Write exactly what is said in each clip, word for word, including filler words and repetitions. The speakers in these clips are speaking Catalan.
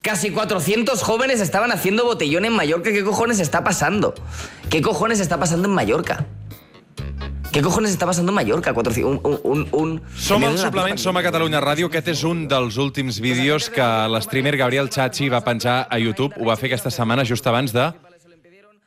Casi cuatrocientos jóvenes estaban haciendo botellón en Mallorca. ¿Qué cojones está pasando? ¿Qué cojones está pasando en Mallorca? Què cojones està passant a Mallorca? Un, un, un... Som al suplement, som a Catalunya Ràdio. Aquest és un dels últims vídeos que l'streamer Gabriel Chachi va penjar a YouTube. Ho va fer aquesta setmana just abans de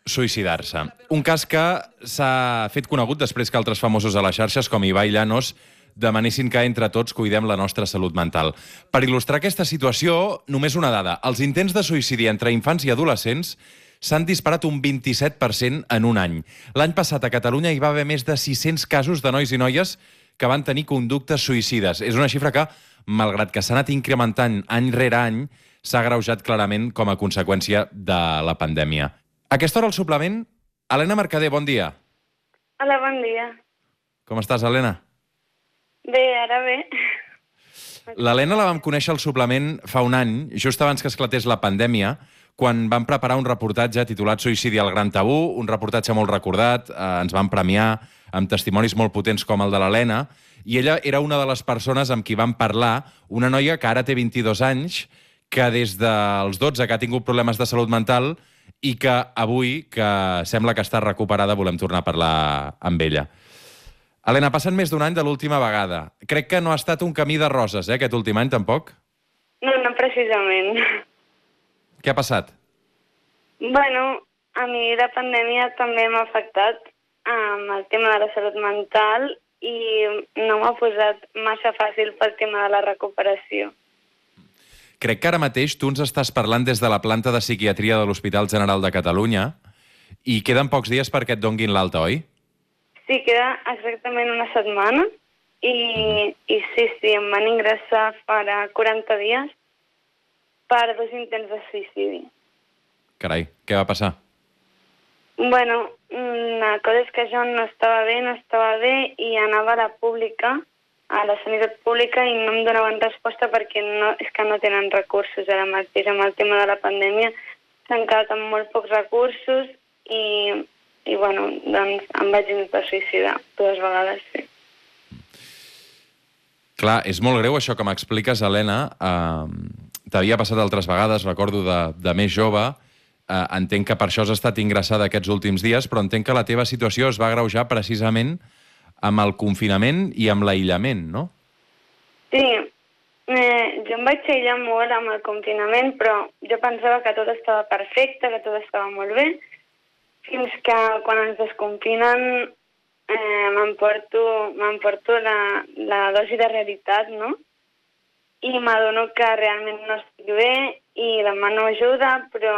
suïcidar-se. Un cas que s'ha fet conegut després que altres famosos a les xarxes, com Ibai Llanos, demanessin que entre tots cuidem la nostra salut mental. Per il·lustrar aquesta situació, només una dada. Els intents de suïcidi entre infants i adolescents s'han disparat un vint-i-set per cent en un any. L'any passat a Catalunya hi va haver més de sis-cents casos de nois i noies que van tenir conductes suïcides. És una xifra que, malgrat que s'ha anat incrementant any rere any, s'ha agreujat clarament com a conseqüència de la pandèmia. A aquesta hora al suplement, Helena Mercader, bon dia. Hola, bon dia. Com estàs, Helena? Bé, ara bé. L'Helena la vam conèixer al suplement fa un any, just abans que esclatés la pandèmia, quan vam preparar un reportatge titulat Suïcidi al Gran Tabú, un reportatge molt recordat, eh, ens van premiar amb testimonis molt potents com el de l'Helena, i ella era una de les persones amb qui vam parlar, una noia que ara té vint-i-dos anys, que des dels dotze que ha tingut problemes de salut mental i que avui, que sembla que està recuperada, volem tornar a parlar amb ella. Helena, passen més d'un any de l'última vegada. Crec que no ha estat un camí de roses, eh, aquest últim any, tampoc? No, no precisament. Què ha passat? Bueno, a mi la pandèmia també m'ha afectat amb el tema de la salut mental i no m'ha posat massa fàcil pel tema de la recuperació. Crec que ara mateix tu ens estàs parlant des de la planta de psiquiatria de l'Hospital General de Catalunya i queden pocs dies perquè et donguin l'alta, oi? Sí, queda exactament una setmana i, i sí, sí, em van ingressar farà quaranta dies per dos intents de suïcidi. Carai, què va passar? Bueno, la cosa és que jo no estava bé, no estava bé i anava a la pública, a la sanitat pública i no em donaven resposta perquè no, és que no tenen recursos ara mateix amb el tema de la pandèmia. S'han quedat amb molt pocs recursos i, i bueno, doncs em vaig intentar suïcidar dues vegades, sí. Clar, és molt greu això que m'expliques, Helena. Uh... T'havia passat altres vegades, recordo de, de més jove. Eh, entenc que per això has estat ingressada aquests últims dies, però entenc que la teva situació es va agreujar precisament amb el confinament i amb l'aïllament, no? Sí, eh, jo em vaig aïllar molt amb el confinament, però jo pensava que tot estava perfecte, que tot estava molt bé, fins que quan ens desconfinen eh, m'emporto m'emporto la, la dosi de realitat, no? I m'adono que realment no estic bé i demano ajuda, però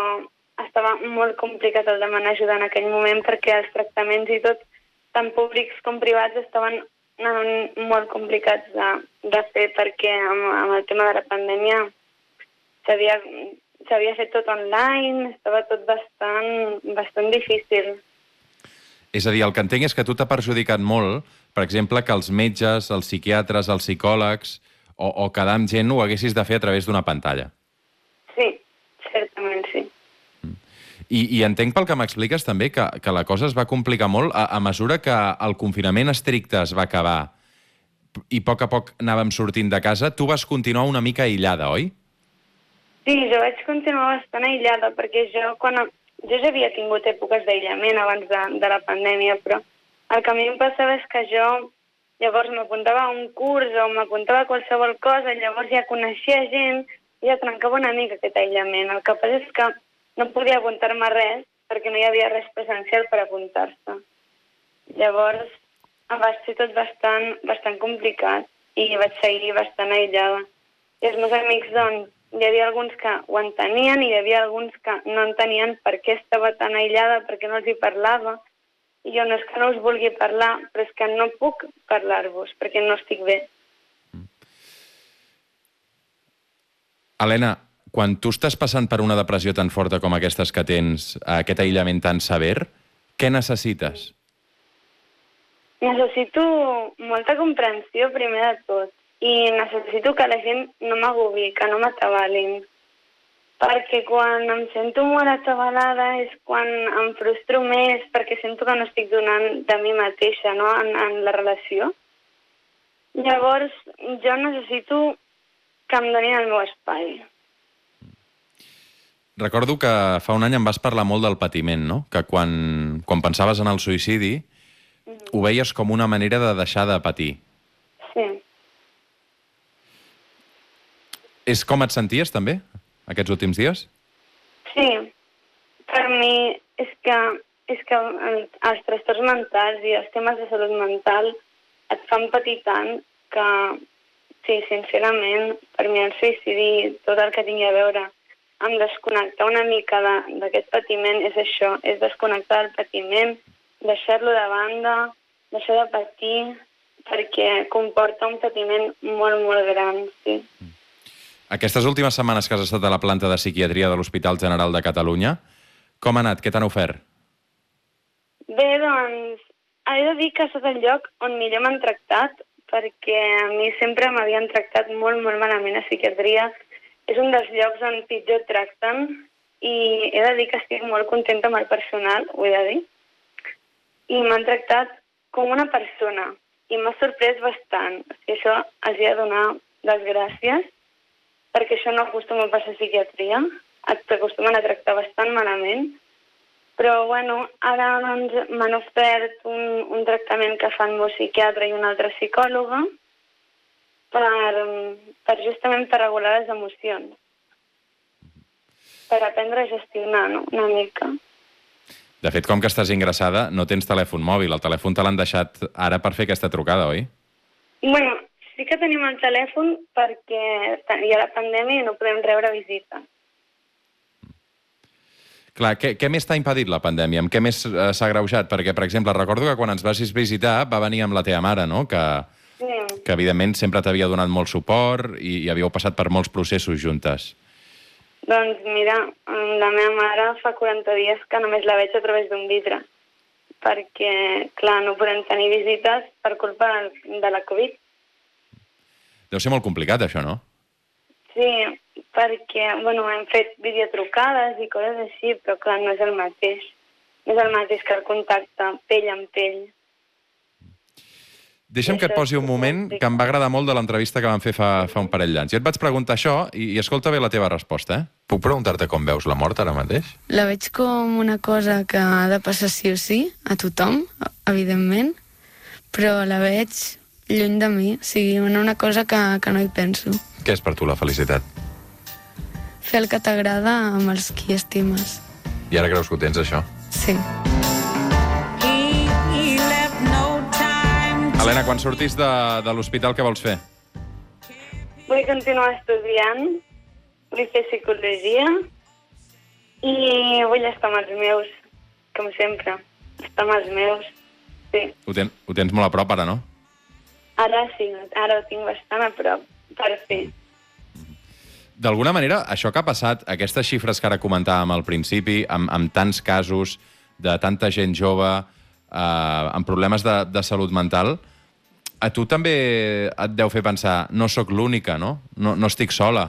estava molt complicat el demanar ajuda en aquell moment perquè els tractaments i tot, tant públics com privats, estaven molt complicats de, de fer perquè amb, amb el tema de la pandèmia s'havia fet tot online, estava tot bastant, bastant difícil. És a dir, el que entenc és que tu t'ha perjudicat molt, per exemple, que els metges, els psiquiatres, els psicòlegs o, o quedar amb gent ho haguessis de fer a través d'una pantalla. Sí, certament sí. I, i entenc pel que m'expliques també que, que la cosa es va complicar molt a, a mesura que el confinament estricte es va acabar i a poc a poc anàvem sortint de casa, tu vas continuar una mica aïllada, oi? Sí, jo vaig continuar bastant aïllada perquè jo, quan, jo ja havia tingut èpoques d'aïllament abans de, de la pandèmia, però el que a mi em passava és que jo llavors m'apuntava a un curs o m'apuntava a qualsevol cosa, llavors ja coneixia gent i ja trencava una mica aquest aïllament. El que passa és que no podia apuntar-me a res perquè no hi havia res presencial per apuntar-se. Llavors va ser tot bastant, bastant complicat i vaig seguir bastant aïllada. I els meus amics, doncs, hi havia alguns que ho entenien i hi havia alguns que no entenien per què estava tan aïllada, per què no els hi parlava. I jo no és que no us vulgui parlar, però és que no puc parlar-vos perquè no estic bé. Helena, quan tu estàs passant per una depressió tan forta com aquestes que tens, aquest aïllament tan sever, què necessites? Necessito molta comprensió, primer de tot, i necessito que la gent no m'agobi, que no m'atabalin, perquè quan em sento molt atabalada és quan em frustro més, perquè sento que no estic donant de mi mateixa, no?, en, en la relació. Llavors, jo necessito que em donin el meu espai. Recordo que fa un any em vas parlar molt del patiment, no? Que quan, quan pensaves en el suïcidi mm-hmm. ho veies com una manera de deixar de patir. Sí. És com et senties, també, aquests últims dies? Sí. Per mi és que, és que els trastorns mentals i els temes de salut mental et fan patir tant que, sí, sincerament, per mi el suïcidi, tot el que tingui a veure amb desconnectar una mica d'aquest patiment és això, és desconnectar del patiment, deixar-lo de banda, deixar de patir, perquè comporta un patiment molt, molt gran, sí. Aquestes últimes setmanes que has estat a la planta de psiquiatria de l'Hospital General de Catalunya, com ha anat? Què t'han ofert? Bé, doncs, he de dir que ha estat el lloc on millor m'han tractat, perquè a mi sempre m'havien tractat molt, molt malament a psiquiatria. És un dels llocs on pitjor tracten i he de dir que estic molt contenta amb el personal, ho he de dir. I m'han tractat com una persona i m'ha sorprès bastant. I això els he de donar les gràcies, perquè això no acostuma a passar a psiquiatria, t'acostumen a tractar bastant malament. Però, bueno, ara doncs, m'han ofert un, un tractament que fa el meu psiquiatre i una altra psicòloga, Per, per justament per regular les emocions, per aprendre a gestionar, no?, una mica. De fet, com que estàs ingressada, no tens telèfon mòbil. El telèfon te l'han deixat ara per fer aquesta trucada, oi? Bueno, sí que tenim el telèfon perquè hi ha la pandèmia i no podem rebre visites. Clar, què, què més t'ha impedit la pandèmia? Amb què més eh, s'ha agreujat? Perquè, per exemple, recordo que quan ens vas visitar va venir amb la teva mare, no?, que... que evidentment sempre t'havia donat molt suport i, i havíeu passat per molts processos juntes. Doncs mira, la meva mare fa quaranta dies que només la veig a través d'un vidre, perquè, clar, no podem tenir visites per culpa de la Covid. Deu ser molt complicat, això, no? Sí, perquè, bueno, hem fet videotrucades i coses així, però clar, no és el mateix. No és el mateix que el contacte pell amb pell. Deixa'm que et posi un moment que em va agradar molt de l'entrevista que vam fer fa, fa un parell d'anys. Jo et vaig preguntar això i, i escolta bé la teva resposta, eh? Puc preguntar-te com veus la mort ara mateix? La veig com una cosa que ha de passar sí o sí, a tothom, evidentment, però la veig lluny de mi, o sigui, una cosa que, que no hi penso. Què és per tu la felicitat? Fer el que t'agrada amb els qui estimes. I ara creus que ho tens, això? Sí. Helena, quan sortis de, de l'hospital, què vols fer? Vull continuar estudiant, vull fer psicologia i vull estar amb els meus, com sempre. Estar amb els meus, sí. Ho, ten, ho tens molt a prop, ara, no? Ara sí, ara ho tinc bastant a prop, per fi. D'alguna manera, això que ha passat, aquestes xifres que ara comentàvem al principi, amb, amb tants casos de tanta gent jove, eh, amb problemes de, de salut mental, a tu també et deu fer pensar, no sóc l'única, no? no? No estic sola.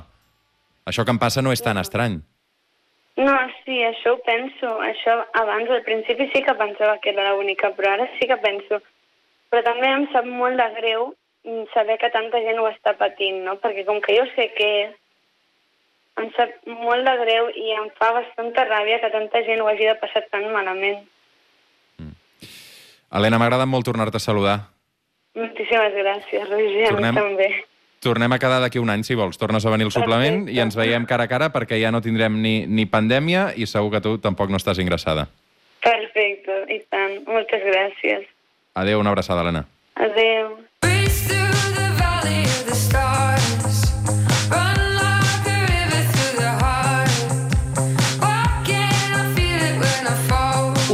Això que em passa no és tan estrany. No, sí, això ho penso. Això abans, al principi sí que pensava que era l'única, però ara sí que penso. Però també em sap molt de greu saber que tanta gent ho està patint, no? Perquè com que jo sé què és, em sap molt de greu i em fa bastanta ràbia que tanta gent ho hagi de passar tan malament. Mm. Helena, m'ha agradat molt tornar-te a saludar. Moltíssimes gràcies, Roger, tornem, també. Tornem a quedar d'aquí un any, si vols. Tornes a venir al suplement i ens veiem cara a cara perquè ja no tindrem ni, ni pandèmia i segur que tu tampoc no estàs ingressada. Perfecte, i tant. Moltes gràcies. Adéu, una abraçada, Helena. Adéu.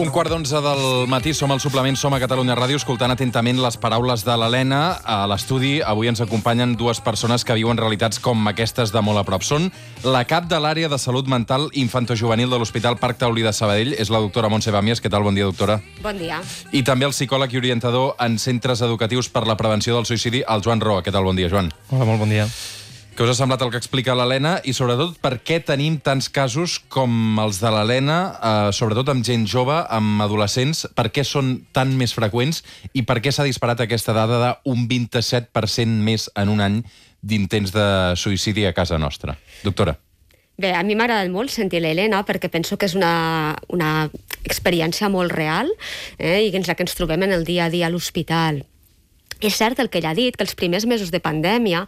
Un quart d'onze del matí, som al suplement, som a Catalunya Ràdio, escoltant atentament les paraules de l'Helena. A l'estudi avui ens acompanyen dues persones que viuen realitats com aquestes de molt a prop. Són la cap de l'àrea de salut mental infantojuvenil de l'Hospital Parc Taulí de Sabadell, és la doctora Montse Bàmies. Què tal? Bon dia, doctora. Bon dia. I també el psicòleg i orientador en centres educatius per la prevenció del suïcidi, el Joan Roa. Què tal? Bon dia, Joan. Hola, molt bon dia. Què us ha semblat el que explica l'Helena i, sobretot, per què tenim tants casos com els de l'Helena, eh, sobretot amb gent jove, amb adolescents, per què són tan més freqüents i per què s'ha disparat aquesta dada d'un vint-i-set per cent més en un any d'intents de suïcidi a casa nostra? Doctora. Bé, a mi m'ha agradat molt sentir l'Helena perquè penso que és una, una experiència molt real eh, i que ens la que ens trobem en el dia a dia a l'hospital. És cert el que ella ha dit, que els primers mesos de pandèmia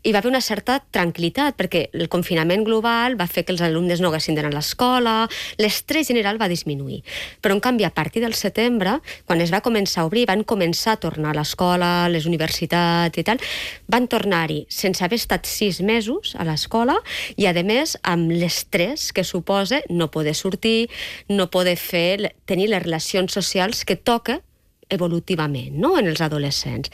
hi va haver una certa tranquil·litat, perquè el confinament global va fer que els alumnes no haguessin d'anar a l'escola, l'estrès general va disminuir. Però, en canvi, a partir del setembre, quan es va començar a obrir, van començar a tornar a l'escola, a les universitats i tal, van tornar-hi sense haver estat sis mesos a l'escola i, a més, amb l'estrès que suposa no poder sortir, no poder fer, tenir les relacions socials que toca evolutivament, no?, en els adolescents.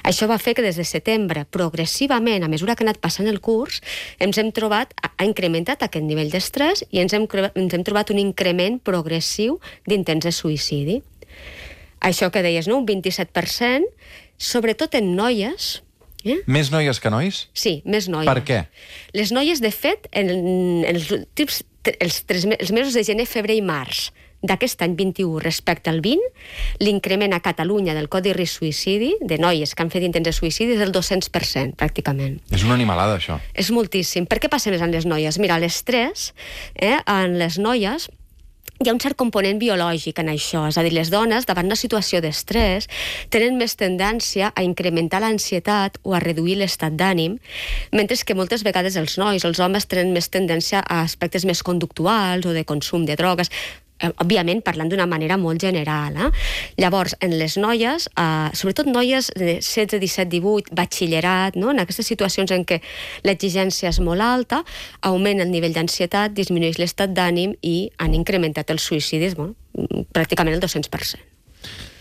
Això va fer que des de setembre, progressivament, a mesura que ha anat passant el curs, ens hem trobat, ha incrementat aquest nivell d'estrès i ens hem, ens hem trobat un increment progressiu d'intents de suïcidi. Això que deies, no?, un vint-i-set per cent, sobretot en noies. Eh? Més noies que nois? Sí, més noies. Per què? Les noies, de fet, en, en els últims els, tres, els mesos de gener, febrer i març d'aquest any vint-i-u respecte al vint, l'increment a Catalunya del codi risc suïcidi, de noies que han fet intents de suïcidi, és del dos-cents per cent, pràcticament. És una animalada, això. És moltíssim. Per què passa més en les noies? Mira, l'estrès, eh, en les noies, hi ha un cert component biològic en això, és a dir, les dones, davant una situació d'estrès, tenen més tendència a incrementar l'ansietat o a reduir l'estat d'ànim, mentre que moltes vegades els nois, els homes, tenen més tendència a aspectes més conductuals o de consum de drogues, òbviament parlant d'una manera molt general. Eh? Llavors, en les noies, eh, sobretot noies de setze, disset, divuit, batxillerat, no? En aquestes situacions en què l'exigència és molt alta, augmenta el nivell d'ansietat, disminueix l'estat d'ànim i han incrementat els suïcidis, bueno, pràcticament el dos-cents per cent.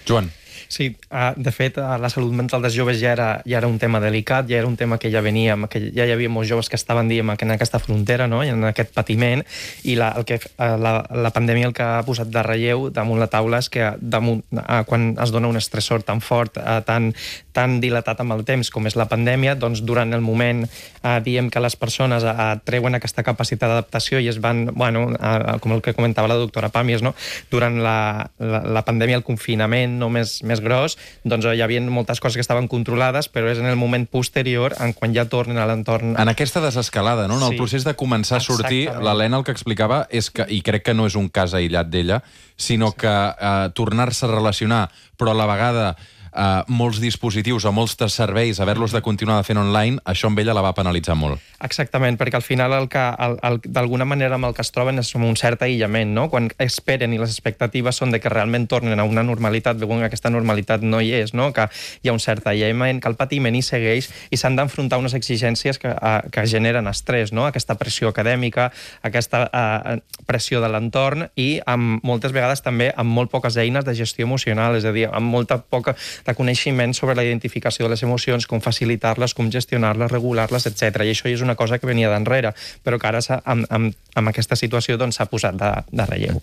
Joan. Sí, de fet, la salut mental dels joves ja era, ja era un tema delicat, ja era un tema que ja venia, que ja hi havia molts joves que estaven, diguem, en aquesta frontera, no?, en aquest patiment, i la, el que, la, la pandèmia el que ha posat de relleu damunt la taula és que damunt, quan es dona un estressor tan fort, tan, tan dilatat amb el temps com és la pandèmia, doncs durant el moment, eh, diem que les persones eh, treuen aquesta capacitat d'adaptació i es van, bueno, eh, com el que comentava la doctora Pàmies, no?, durant la, la, la pandèmia, el confinament no més, més gros, doncs hi havia moltes coses que estaven controlades, però és en el moment posterior, en quan ja tornen a l'entorn... En aquesta desescalada, no? En el sí. procés de començar a sortir, l'Helena el que explicava és que, i crec que no és un cas aïllat d'ella, sinó sí. que eh, tornar-se a relacionar, però a la vegada eh, molts dispositius o molts serveis, haver-los de continuar fent online, això amb ella la va penalitzar molt. Exactament, perquè al final el que, el, el, d'alguna manera amb el que es troben és un cert aïllament, no? Quan esperen i les expectatives són de que realment tornen a una normalitat, veuen que aquesta normalitat no hi és, no? Que hi ha un cert aïllament, que el patiment hi segueix i s'han d'enfrontar unes exigències que, a, que generen estrès, no? Aquesta pressió acadèmica, aquesta a, pressió de l'entorn i amb, moltes vegades també amb molt poques eines de gestió emocional, és a dir, amb molta poca de coneixement sobre la identificació de les emocions, com facilitar-les, com gestionar-les, regular-les, etcètera. I això és una cosa que venia d'enrere, però que ara amb, amb, amb aquesta situació doncs, s'ha posat de, de relleu.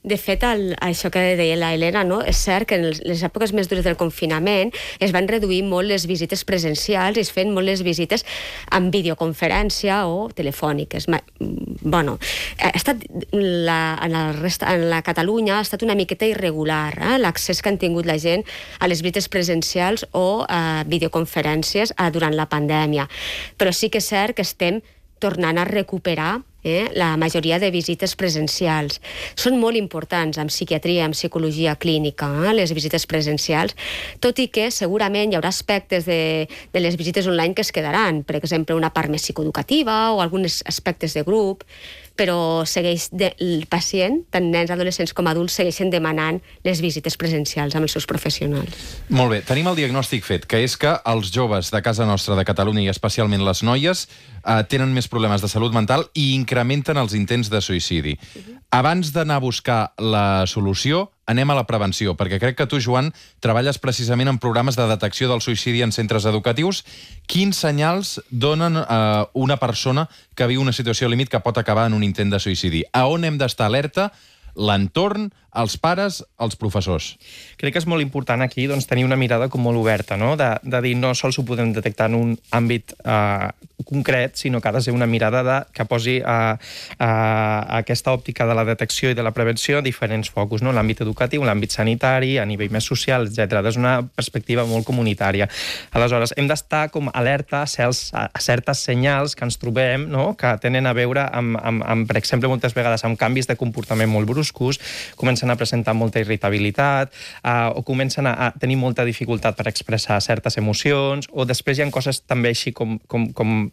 De fet, el, això que deia la Helena, no? És cert que en les èpoques més dures del confinament es van reduir molt les visites presencials i es feien molt les visites amb videoconferència o telefòniques. Bueno, ha estat la, en, el resta, en la Catalunya ha estat una miqueta irregular eh? l'accés que han tingut la gent a les visites presencials o a videoconferències eh, durant la pandèmia. Però sí que és cert que estem tornant a recuperar Eh, la majoria de visites presencials. Són molt importants en psiquiatria, en psicologia clínica, eh, les visites presencials, tot i que segurament hi haurà aspectes de, de les visites online que es quedaran, per exemple, una part més psicoeducativa o alguns aspectes de grup, però segueix de, el pacient, tant nens, adolescents com adults, segueixen demanant les visites presencials amb els seus professionals. Molt bé, tenim el diagnòstic fet, que és que els joves de casa nostra, de Catalunya, i especialment les noies, eh, tenen més problemes de salut mental i incrementen els intents de suïcidi. Uh-huh. Abans d'anar a buscar la solució, anem a la prevenció, perquè crec que tu, Joan, treballes precisament en programes de detecció del suïcidi en centres educatius. Quins senyals donen a eh, una persona que viu una situació límit que pot acabar en un intent de suïcidi? A on hem d'estar alerta? L'entorn, els pares, els professors. Crec que és molt important aquí doncs, tenir una mirada com molt oberta, no? de, de dir no sols ho podem detectar en un àmbit eh, concret, sinó que ha de ser una mirada de, que posi eh, eh, aquesta òptica de la detecció i de la prevenció a diferents focus, no? L'àmbit educatiu, l'àmbit sanitari, a nivell més social, etcètera. És una perspectiva molt comunitària. Aleshores, hem d'estar com alerta a, cels, a certes senyals que ens trobem, no? Que tenen a veure amb, amb, amb, per exemple, moltes vegades amb canvis de comportament molt bruscos, comencen a presentar molta irritabilitat, eh, o comencen a, a tenir molta dificultat per expressar certes emocions, o després hi ha coses també així com, com, com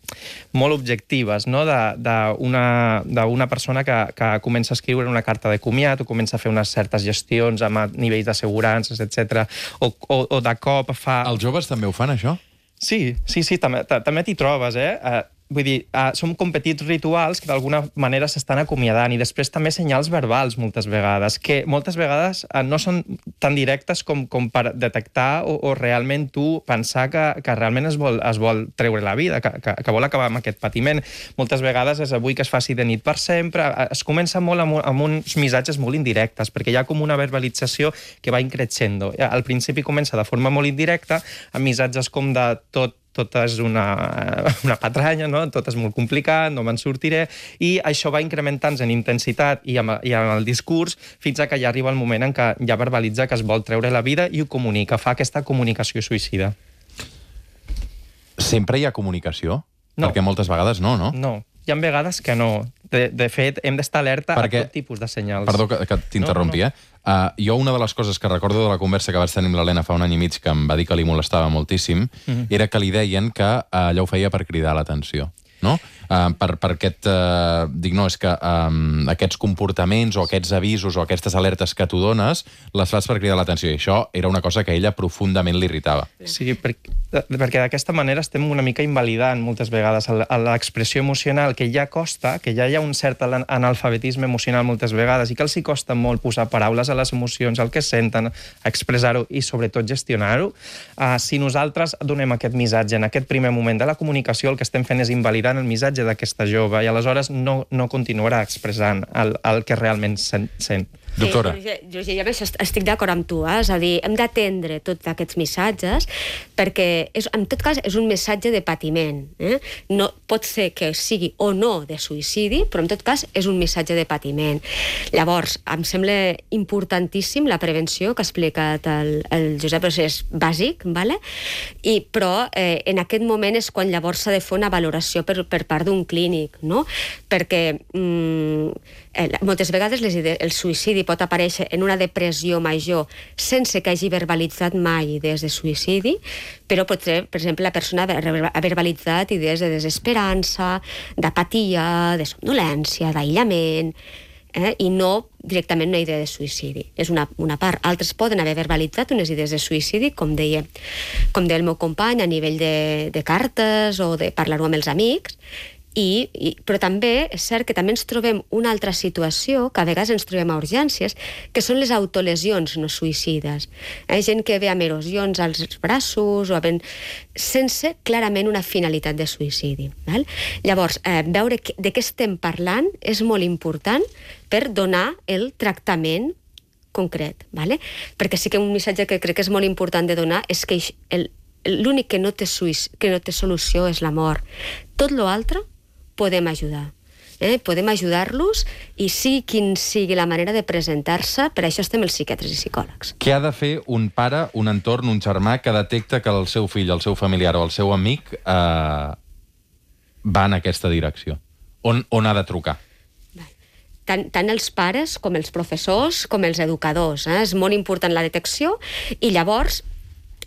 molt objectives, no? d'una d'una persona que, que comença a escriure una carta de comiat o comença a fer unes certes gestions amb nivells d'assegurances, etcètera, o, o, o de cop fa... Els joves també ho fan, això? Sí, sí, sí, també, també t'hi trobes, eh? Uh, vull dir, uh, són com petits rituals que d'alguna manera s'estan acomiadant, i després també senyals verbals moltes vegades, que moltes vegades uh, no són tan directes com, com per detectar o, o realment tu pensar que, que realment es vol, es vol treure la vida, que, que, que vol acabar amb aquest patiment. Moltes vegades és avui que es faci de nit per sempre. Es comença molt amb, amb uns missatges molt indirectes, perquè hi ha com una verbalització que va increixendo. Al principi comença de forma molt indirecta, amb missatges com de tot tot és una, una patranya, no? Tot és molt complicat, no me'n sortiré, i això va incrementant-se en intensitat i amb, i amb el discurs fins a que ja arriba el moment en què ja verbalitza que es vol treure la vida i ho comunica, fa aquesta comunicació suïcida. Sempre hi ha comunicació? No. Perquè moltes vegades no, no? No, hi ha vegades que no. De, de fet, hem d'estar alerta Perquè... a tot tipus de senyals. Perdó que, que t'interrompi, no, no. eh? Uh, jo una de les coses que recordo de la conversa que vaig tenir amb l'Helena fa un any i mig, que em va dir que li molestava moltíssim, mm-hmm. era que li deien que uh, allò ho feia per cridar l'atenció, no? Uh, per, per aquest... Uh, dic, no, és que um, aquests comportaments o aquests avisos o aquestes alertes que tu dones les fas per cridar l'atenció, i això era una cosa que a ella profundament l'irritava. Sí, perquè, perquè d'aquesta manera estem una mica invalidant moltes vegades l'expressió emocional, que ja costa, que ja hi ha un cert analfabetisme emocional moltes vegades i que els hi costa molt posar paraules a les emocions, el que senten, expressar-ho i sobretot gestionar-ho. Uh, si nosaltres donem aquest missatge en aquest primer moment de la comunicació, el que estem fent és invalidant el missatge d'aquesta jove i aleshores no, no continuarà expressant el, el que realment sent. Doctora. Sí, Roger, jo estic d'acord amb tu, eh? És a dir, hem d'atendre tots aquests missatges perquè, és, en tot cas, és un missatge de patiment. Eh? No, pot ser que sigui o no de suïcidi, però en tot cas és un missatge de patiment. Llavors, em sembla importantíssim la prevenció que ha explicat el, el Josep, és bàsic, vale? I, però eh, en aquest moment és quan llavors s'ha de fer una valoració per, per part d'un clínic, no? Perquè mm, eh, moltes vegades les idees, el suïcidi pot aparèixer en una depressió major sense que hagi verbalitzat mai idees de suïcidi, però potser, per exemple, la persona ha verbalitzat idees de desesperança, d'apatia, de somnolència, d'aïllament, eh? I no directament una idea de suïcidi. És una, una part. Altres poden haver verbalitzat unes idees de suïcidi, com deia, com deia el meu company, a nivell de, de cartes o de parlar-ho amb els amics. I, i, però també és cert que també ens trobem una altra situació, que a vegades ens trobem a urgències, que són les autolesions no suïcides. Hi ha gent que ve amb erosions als braços o havent, sense clarament una finalitat de suïcidi. Val? Llavors, eh, veure que, de què estem parlant és molt important per donar el tractament concret. Vale? Perquè sí que un missatge que crec que és molt important de donar és que el, l'únic que no té, suïc, que no té solució és la mort. Tot l'altre podem ajudar. Eh? Podem ajudar-los i sigui quin sigui la manera de presentar-se, per això estem els psiquiatres i psicòlegs. Què ha de fer un pare, un entorn, un germà que detecta que el seu fill, el seu familiar o el seu amic eh, va en aquesta direcció? On, on ha de trucar? Tant, tant els pares com els professors com els educadors. Eh? És molt important la detecció i llavors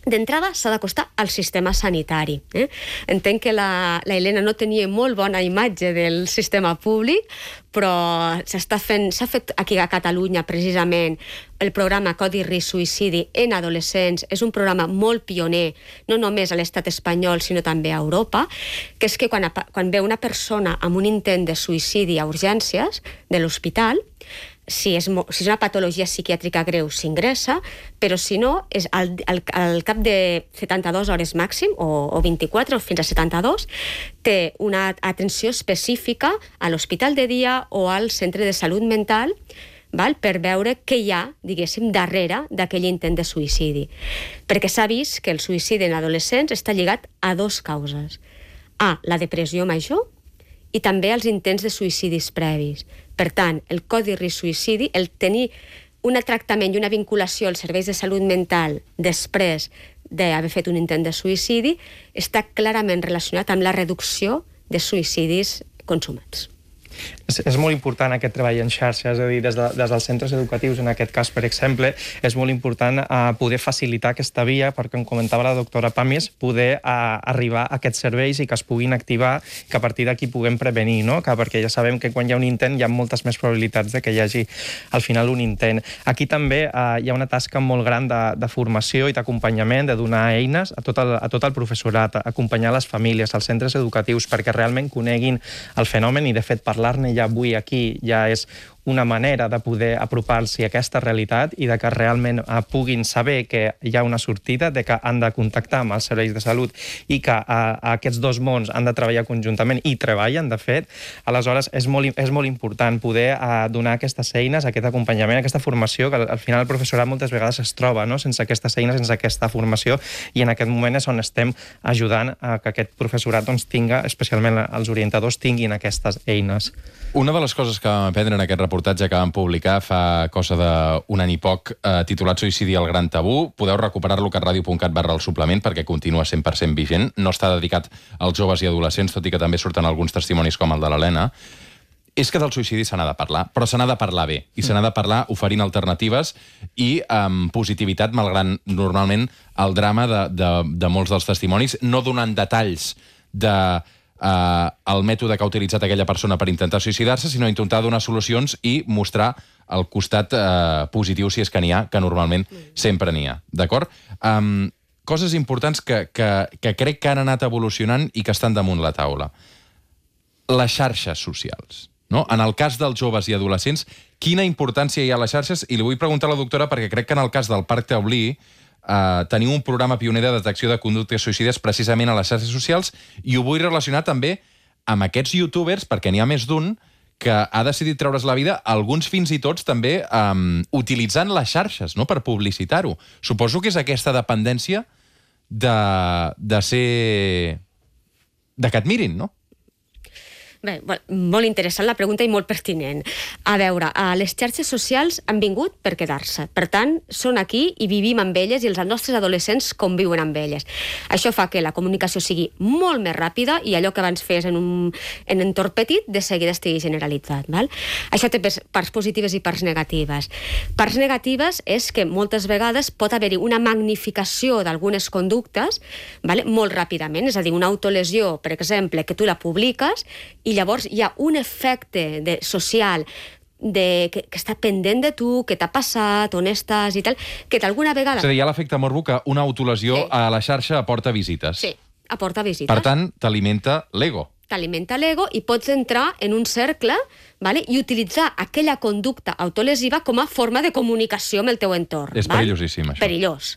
d'entrada s'ha d'acostar al sistema sanitari. Eh? Entenc que la, la Helena no tenia molt bona imatge del sistema públic, però s'està fent, s'ha fet aquí a Catalunya precisament el programa Codi Risc Suïcidi en adolescents. És un programa molt pioner, no només a l'estat espanyol, sinó també a Europa, que és que quan, quan ve una persona amb un intent de suïcidi a urgències de l'hospital, si és, si és una patologia psiquiàtrica greu s'ingressa, però si no, és al, al, al cap de setanta-dues hores màxim, o, o vint-i-quatre, o fins a setanta-dos, té una atenció específica a l'hospital de dia o al centre de salut mental val? Per veure què hi ha, diguéssim, darrere d'aquell intent de suïcidi. Perquè s'ha vist que el suïcidi en adolescents està lligat a dues causes. A, la depressió major, i també als intents de suïcidis previs. Per tant, el codi risc suïcidi, el tenir un tractament i una vinculació als serveis de salut mental després d'haver fet un intent de suïcidi, està clarament relacionat amb la reducció de suïcidis consumats. És, és molt important aquest treball en xarxa, és a dir, des, de, des dels centres educatius, en aquest cas, per exemple, és molt important uh, poder facilitar aquesta via, perquè, com comentava la doctora Pàmies, poder uh, arribar a aquests serveis i que es puguin activar, que a partir d'aquí puguem prevenir, no? Que, perquè ja sabem que quan hi ha un intent hi ha moltes més probabilitats de que hi hagi al final un intent. Aquí també uh, hi ha una tasca molt gran de, de formació i d'acompanyament, de donar eines a tot, el, a tot el professorat, acompanyar les famílies, els centres educatius, perquè realment coneguin el fenomen i, de fet, parlar-ne ja avui aquí ja és una manera de poder apropar-s'hi a aquesta realitat i de que realment eh, puguin saber que hi ha una sortida, de que han de contactar amb els serveis de salut i que eh, aquests dos mons han de treballar conjuntament i treballen, de fet. Aleshores, és molt, és molt important poder eh, donar aquestes eines, aquest acompanyament, aquesta formació, que al final el professorat moltes vegades es troba, no? Sense aquestes eines, sense aquesta formació, i en aquest moment és on estem ajudant a que aquest professorat doncs, tinga, especialment els orientadors, tinguin aquestes eines. Una de les coses que vam aprendre en aquest reportatge que vam publicar fa cosa d'un any i poc, eh, titulat Suïcidi al gran tabú, podeu recuperar-lo a catradio punt cat barra el suplement perquè continua cent per cent vigent. No està dedicat als joves i adolescents, tot i que també surten alguns testimonis com el de l'Helena. És que del suïcidi se n'ha de parlar, però se n'ha de parlar bé, i se n'ha de parlar oferint alternatives i amb positivitat, malgrat normalment el drama de, de, de molts dels testimonis, no donant detalls de Uh, el mètode que ha utilitzat aquella persona per intentar suïcidar-se, sinó intentar donar solucions i mostrar el costat uh, positiu, si és que n'hi ha, que normalment sempre n'hi ha. D'acord? Um, coses importants que, que, que crec que han anat evolucionant i que estan damunt la taula. Les xarxes socials. No? En el cas dels joves i adolescents, quina importància hi ha a les xarxes? I li vull preguntar a la doctora, perquè crec que en el cas del Parc Taulí Uh, teniu un programa pioner de detecció de conductes suïcides precisament a les xarxes socials, i ho vull relacionar també amb aquests youtubers, perquè n'hi ha més d'un que ha decidit treure's la vida, alguns fins i tots també um, utilitzant les xarxes, no?, per publicitar-ho. Suposo que és aquesta dependència de, de ser... de que et mirin, no? Bé, molt interessant la pregunta i molt pertinent. A veure, les xarxes socials han vingut per quedar-se. Per tant, són aquí i vivim amb elles i els nostres adolescents conviuen amb elles. Això fa que la comunicació sigui molt més ràpida i allò que abans fes en un en entorn petit, de seguida estigui generalitzat. Val? Això té parts positives i parts negatives. Parts negatives és que moltes vegades pot haver-hi una magnificació d'algunes conductes, vale? Molt ràpidament, és a dir, una autolesió, per exemple, que tu la publiques i I llavors hi ha un efecte de, social de, que, que està pendent de tu, que t'ha passat, on estàs i tal, que d'alguna vegada... És a dir, hi ha l'efecte morbo que una autolesió sí. a la xarxa aporta visites. Sí, aporta visites. Per tant, t'alimenta l'ego. T'alimenta l'ego i pots entrar en un cercle, vale? I utilitzar aquella conducta autolesiva com a forma de comunicació amb el teu entorn. És val? perillosíssim, això. Perillós.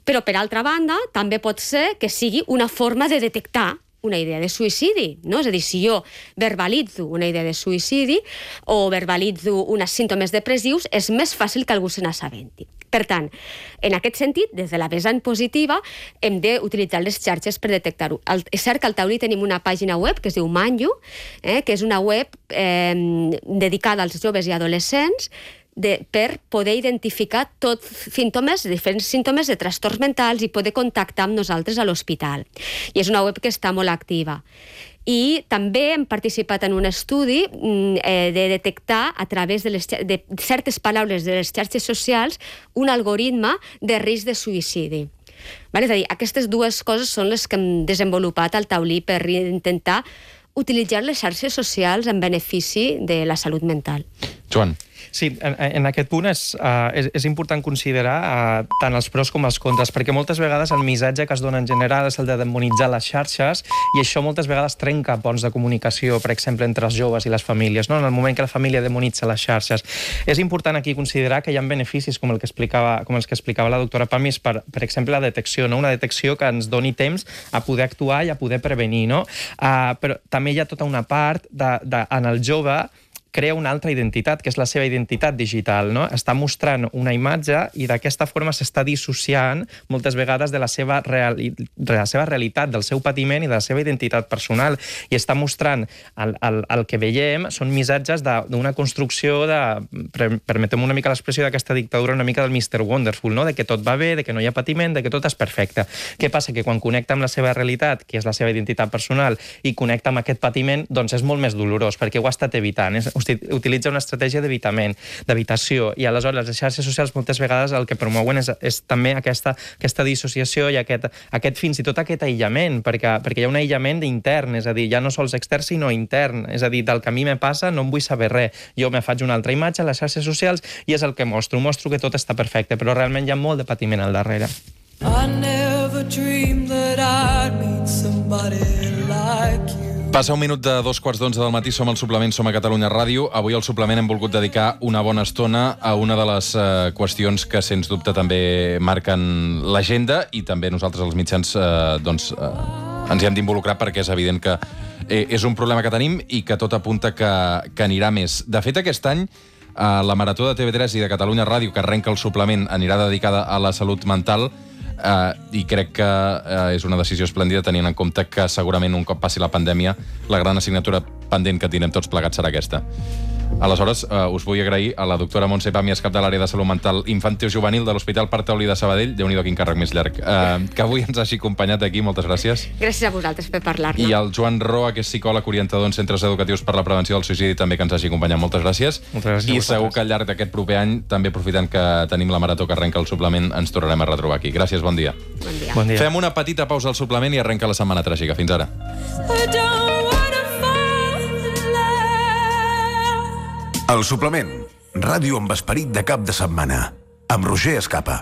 Però, per altra banda, també pot ser que sigui una forma de detectar una idea de suïcidi, no? És a dir, si jo verbalitzo una idea de suïcidi o verbalitzo uns símptomes depressius, és més fàcil que algú se n'assabenti. Per tant, en aquest sentit, des de la vessant positiva, hem d'utilitzar les xarxes per detectar-ho. És cert que al Taulí tenim una pàgina web que es diu Manju, eh, que és una web eh, dedicada als joves i adolescents, De, per poder identificar tots símptomes, diferents símptomes de trastorns mentals i poder contactar amb nosaltres a l'hospital. I és una web que està molt activa. I també hem participat en un estudi eh, de detectar a través de, les, de certes paraules de les xarxes socials un algoritme de risc de suïcidi. Vale? És a dir, aquestes dues coses són les que hem desenvolupat al Taulí per intentar utilitzar les xarxes socials en benefici de la salut mental. Joan. Sí, en, en aquest punt és, uh, és, és important considerar uh, tant els pros com els contres, perquè moltes vegades el missatge que es dona en general és el de demonitzar les xarxes, i això moltes vegades trenca ponts de comunicació, per exemple, entre els joves i les famílies, no? En el moment que la família demonitza les xarxes. És important aquí considerar que hi ha beneficis, com el que explicava, com els que explicava la doctora Pàmies, per, per exemple, la detecció, no? Una detecció que ens doni temps a poder actuar i a poder prevenir, no? Uh, però també hi ha tota una part de, de, en el jove crea una altra identitat, que és la seva identitat digital, no? Està mostrant una imatge i d'aquesta forma s'està dissociant moltes vegades de la seva, reali de la seva realitat, del seu patiment i de la seva identitat personal. I està mostrant el, el, el que veiem són missatges d'una construcció de, permetem una mica l'expressió d'aquesta dictadura una mica del mister Wonderful, no? De que tot va bé, de que no hi ha patiment, de que tot és perfecte. Què passa? Que quan connecta amb la seva realitat, que és la seva identitat personal, i connecta amb aquest patiment, doncs és molt més dolorós, perquè ho ha estat evitant. És, utilitza una estratègia d'evitament, d'evitació, i aleshores les xarxes socials moltes vegades el que promouen és, és també aquesta, aquesta dissociació i aquest, aquest fins i tot aquest aïllament, perquè, perquè hi ha un aïllament intern, és a dir, ja no sols extern, sinó intern. És a dir, del que a mi me passa no em vull saber res. Jo me faig una altra imatge a les xarxes socials i és el que mostro. Mostro que tot està perfecte, però realment hi ha molt de patiment al darrere. I never dreamed that I'd meet somebody like you. Passa un minut de dos quarts d'onze del matí, som al Suplement, som a Catalunya Ràdio. Avui al Suplement hem volgut dedicar una bona estona a una de les eh, qüestions que, sens dubte, també marquen l'agenda i també nosaltres, els mitjans, eh, doncs, eh, ens hi hem d'involucrar perquè és evident que eh, és un problema que tenim i que tot apunta que, que anirà més. De fet, aquest any, eh, la Marató de T V tres i de Catalunya Ràdio, que arrenca el Suplement, anirà dedicada a la salut mental. Uh, i crec que uh, és una decisió esplèndida tenint en compte que segurament un cop passi la pandèmia la gran assignatura pendent que tindrem tots plegats serà aquesta. Aleshores, uh, us vull agrair a la doctora Montse Pàmies, cap de l'àrea de salut mental infantil-juvenil de l'Hospital Parc Taulí de Sabadell, déu-n'hi-do quin càrrec més llarg, uh, que avui ens hagi acompanyat aquí, moltes gràcies. Gràcies a vosaltres per parlar-ne. I al Joan Roa, que és psicòleg orientador en centres educatius per la prevenció del suïcidi, també que ens hagi acompanyat, moltes gràcies. Moltes gràcies. I segur que al llarg d'aquest proper any, també aprofitant que tenim la marató que arrenca el Suplement, ens tornarem a retrobar aquí. Gràcies, bon dia. Bon dia. Bon dia. Fem una petita pausa al Suplement i arrenca la setmana tràgica. Fins ara. El Suplement, ràdio amb esperit de cap de setmana, amb Roger Escapa.